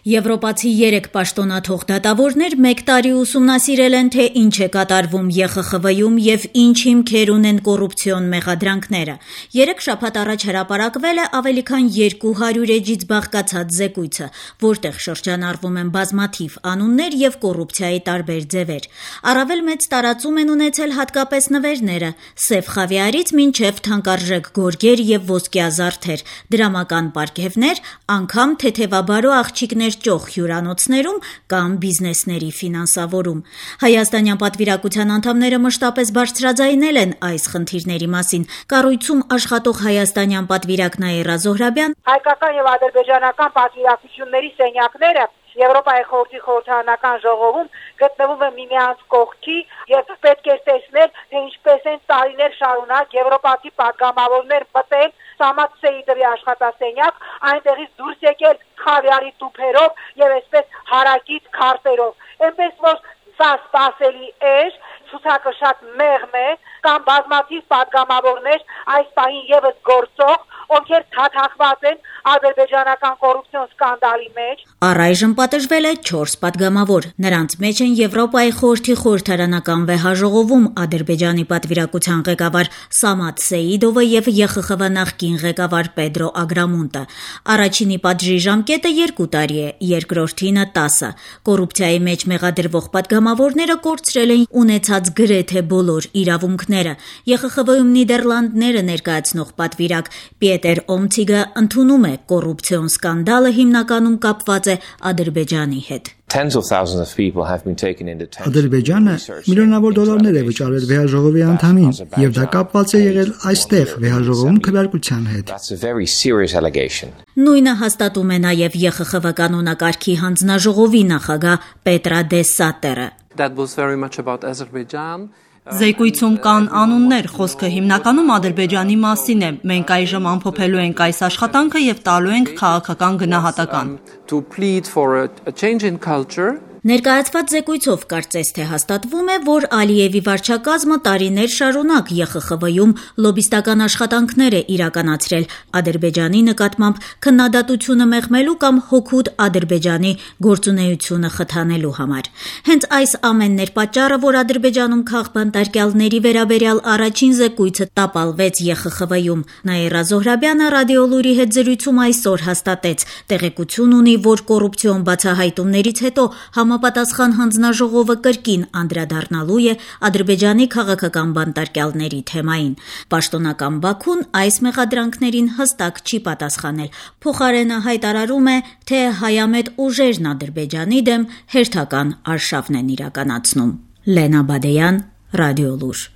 Եվրոպացի 3 պաշտոնաթող դատավորներ 1 տարի ուսումնասիրել են, թե ինչ է կատարվում ԵԽԽՎ-ում եւ ինչ հիմքեր ունեն կոռուպցիոն մեղադրանքները։ 3 շաբաթ առաջ հրապարակվել է ավելի քան 200 էջից բաղկացած զեկույցը, որտեղ շրջանառվում են բազմաթիվ անուններ եւ կոռուպցիայի տարբեր ձևեր։ Առավել մեծ տարածում են ունեցել հատկապես նվերները՝ սև խավիարից մինչեւ թանկարժեք գորգեր եւ ոսկյա զարդեր, դրամական պարգևներ, անգամ թեթևաբարո աղջիկներ ճոխ հյուրանոցներում կամ բիզնեսների ֆինանսավորում։ Հայաստանյան պատվիրակության անդամները մշտապես բարձրաձայնել են այս խնդիրների մասին։ Կառույցում աշխատող հայաստանյան պատվիրակ Նաիրա Զոհրաբյան հայկական եւ ադրբեջանական պատվիրակությունների սենյակները Եվրոպայի խորհրդի խորհրդարանական ժողովում գտնվում են միմյանց կողքի եւ պետք է տեսնել, թե ինչպես են տարիներ շարունակ եվրոպացի պատգամավորներ մտել Սամատ Սեիդովի աշխատասենյակ, այնտեղից դուրս եկել խավիարի տուփերով եւ այսպես հարակից քարտերով։ Այնպես որ սա սпасելի է, ցուցակը շատ մեղմ է, կամ բազմաթիվ պատգամավորներ այս պահին եւս գործող, ովքեր թաթախված են ադրբեջանական կոռուպցիոն սկանդալի մեջ։ Առայժմ պատժվել է 4 պատգամավոր։ Նրանց մեջ են Եվրոպայի խորհրդի խորհրդարանական վեհաժողովում Ադրբեջանի պատվիրակության ղեկավար Սամատ Սեիդովը եւ ԵԽԽՎ նախկին ղեկավար Պեդրո Ագրամոնտը։ Առաջինի պատժի ժամկետը 2 տարի է, երկրորդինը 10։ Կոռուպցիայի մեջ մեղադրվող պատգամավորները կորցրել են ունեցած գրեթե բոլոր իրավունքները։ ԵԽԽՎ-ում Նիդերլանդները ներկայացնող պատվիրակ Պիետեր Օմցիգը ընդունում է կոռուպցիոն սկանդալը հիմնականում կապված է Ադրբեջանի հետ։ Ադրբեջանը միլիոնավոր դոլարներ է վճարել վեհաժողովի անդամին, եւ դա կապված է եղել այստեղ վեհաժողովում քվեարկության հետ։ Նույնը հաստատում է նաեւ ԵԽԽՎ կանոնակարգի հանձնաժողովի նախագահ Պետրա Դե Սատերը։ Զեկույցում կան անուններ, խոսքը հիմնականում Ադրբեջանի մասին է։ Մենք այժմ ամփոփելու ենք այս աշխատանքը եւ տալու ենք քաղաքական գնահատական։ Ներկայացված զեկույցով կարծես թե հաստատվում է, որ Ալիևի վարչակազմը տարիներ շարունակ ԵԽԽՎ-ում լոբիստական աշխատանքներ է իրականացրել Ադրբեջանի նկատմամբ քննադատությունը մեղմելու կամ հօգուտ Ադրբեջանի գործունեությունը խթանելու համար։ Հենց այս ամենն էր պատճառը, որ Ադրբեջանում քաղբանտարկյալների վերաբերյալ առաջին զեկույցը տապալվեց ԵԽԽՎ-ում։ Նաիրա Զոհրաբյանը Ռադիոլուրի հետ զրույցում այսօր հաստատեց, տեղեկություն ունի, որ կոռուպցիոն բացահայտումներից հետո Համապատասխան հանձնաժողովը կրկին անդրադառնալու է Ադրբեջանի քաղաքական բանտարկյալների թեմային։ Պաշտոնական Բաքուն այս մեղադրանքներին հստակ չի պատասխանել։ Փոխարենը հայտարարում է, թե հայամետ ուժերն Ադրբեջանի դեմ հերթական արշավն են իրականացնում։ Լենա Բադեյան, Ռադիոլուր։